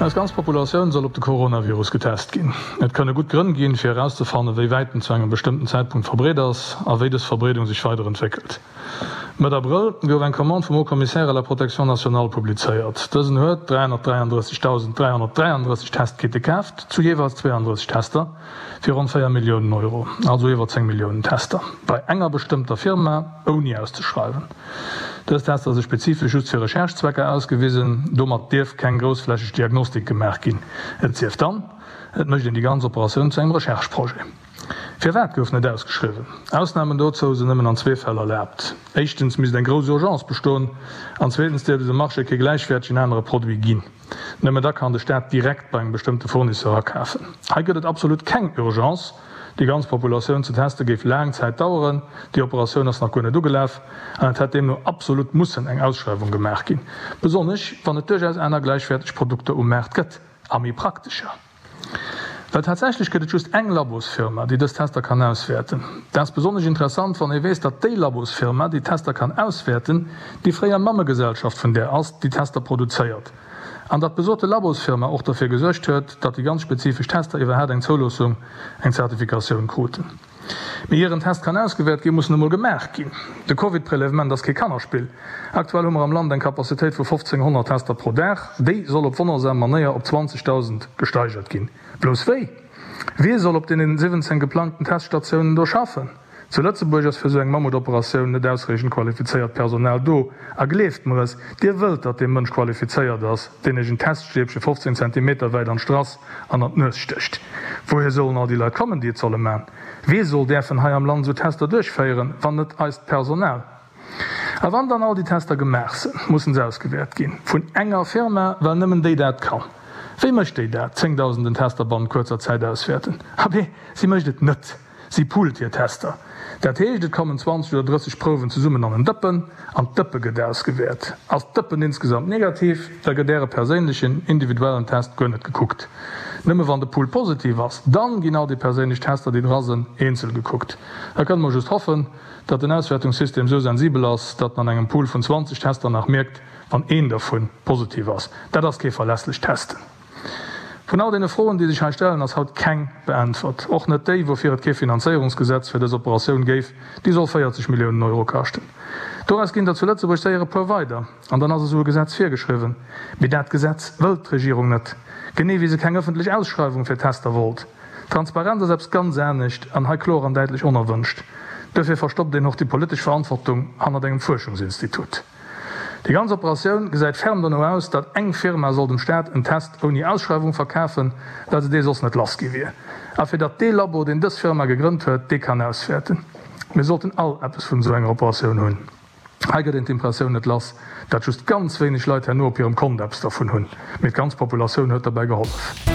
Eis ganz Populatioun soll op de Coronavirus getest ginn. Et kënne gutt Grënn ginn, fir erauszefannen, wéi wäit en zu engem bestëmmten Zäitpunkt verbreet ass a wéi dës Verbreedung sech weider entwéckelt. Mëtt Abrëll gouf eng Commande vum Haut Commissaire à la protection nationale publizéiert. Dësen huet 333.333 Testkitte kaaft, zu jeeweils 32 Tester, fir ronn 4 Milliounen Euro, also iwwer 10 Milliounen Tester, bei enger bestëmmter Firma, ouni auszeschreiwen. Dës Tester si spezifesch just fir Recherche-Zwecker ausgewisen, domat dierf keng groussflächeg Diagnostik gemaach ginn, et sief dann, et mécht een déi ganz Operatioun zu engem Recherche-Projet. Firwat gouf net ausgeschriwwen? Ausnamen dozou sinn nëmmen an zwee Fäll erlaabt, éischtens misst eng grouss Urgence bestoen an zweetens dierft et um Marché kee gläichwäertegen anere Produit ginn. Nëmme da kann de Staat direkt bei engem bestëmmte Fournisseur akafen. Hei gëtt et absolut keng Urgence, déi ganz Populatioun ze teste géif laang Zäit daueren, déi Operatioun ass nach guer net ugelaf an et hätt deemno absolut mussen eng Ausschreiwung gemaach ginn, besonnesch wann et duerchaus aner gläichwäerteg Produkter um Maart gëtt a méi praktescher. Well tatsächlech gëtt et just eng Labosfirma, déi dës Tester kann auswäerten. Dat ass besonnesch interessant, wann ee weess, datt déi Labosfirma, déi d'Tester kann auswäerten, déi fréier Mammegesellschaft vun där ass, déi d'Tester produzéiert. An datt besote Labosfirma och derfir gesuergt huet, datt déi ganz spezifesch Tester iwwerhaat eng Zouloossung, eng Zertifikatioun kruten. Mee ier en Test kann ausgewäert ginn, muss en emol gemaach ginn. De Covid-Prélèvement ass kee Kannerspill. Aktuell hu mer am Land eng Capacitéit vu 1.500 Tester pro Dag. Déi soll op wonnersam Manéier op 20.000 gesteigert ginn. Blouss wéi? Wie soll op deenen 17 geplangten Teststatiounen do schaffen? Zu Lëtzebuerg ass fir esou eng Mammutoperatioun net ausreechend qualifizéiert Personal do. A gleeft mer es, Dir wëllt, datt dee Mënsch qualifizéiert ass, deen Iech en Teststäbche 15 Zentimeter wäit an d'Strass an an d'Nues stécht. Wouhier sollen all déi Leit kommen, déi et solle man? Wee soll däerfen hei am Land esou Tester duerchféieren, wann net eist Personal? A wann dann all déi Tester gemaach sënn, mussen se ausgewäert ginn. Vun enger Firma, well nëmmen déi dat kann. Wéi mécht déi dat, zéngdausenden Tester bannent kuerzer Zäit auswäerten? Abee, si mécht et net! Si poolt hir Tester. Dat heescht, et kommen 20 oder 30 Prouwen zesummen an en Dëppen, an d'Dëppe gëtt ausgewäert. Ass d'Dëppen insgesamt negativ, da gëtt Äre perséinlechen, individuellen Test guer net gekuckt. Nëmme wann de Pool positiv ass, dann ginn all déi perséinlech Tester, déi dra sënn, eenzel gekuckt. Da kënne mer just hoffen, datt den Auswäertungssystem sou sensibel ass, datt en an engem Pool vun 20 Tester nach mierkt, wann een dervu positiv ass. Dat ass kee verlässlecht Testen. Vun all deene Froen, déi sech hei stellen, ass haut keng beäntwert. Och net déi, woufir et kee Finanzéierungsgesetz fir dës Operatioun géif, déi soll 40 Milliounen Euro kaschten. Doraus ginn der zu Lëtzebuerg séier e puer weider, an dann ass esou e Gesetz virgeschriwwen. Mee dat Gesetz wëllt d'Regierung net, genee wéi se keng ëffentlech Ausschreiwung fir Tester wollt. Transparenz ass eppes ganz anescht an hei kloer an däitlech onerwënscht. Duerfir verstoppt een och déi politesch Verantwortung hannert engem Fuerschungsinstitut. Déi ganz Operatioun gesäit ferm dono aus, datt eng Firma soll dem Staat en Test ouni Ausschreiwung verkafen, well se dee soss net lass gi wier. A fir datt dee Labo, deen dës Firma gegrënnt huet, dee kann auswäerten. Mir sollten all eppes vun esou enger Operatioun hunn. Hei gëtt een d'Impressioun net lass, datt just ganz wéineg Leit herno op hirem Kont eppes dervun hunn, mee d'ganz Populatioun huet derbäi gehollef.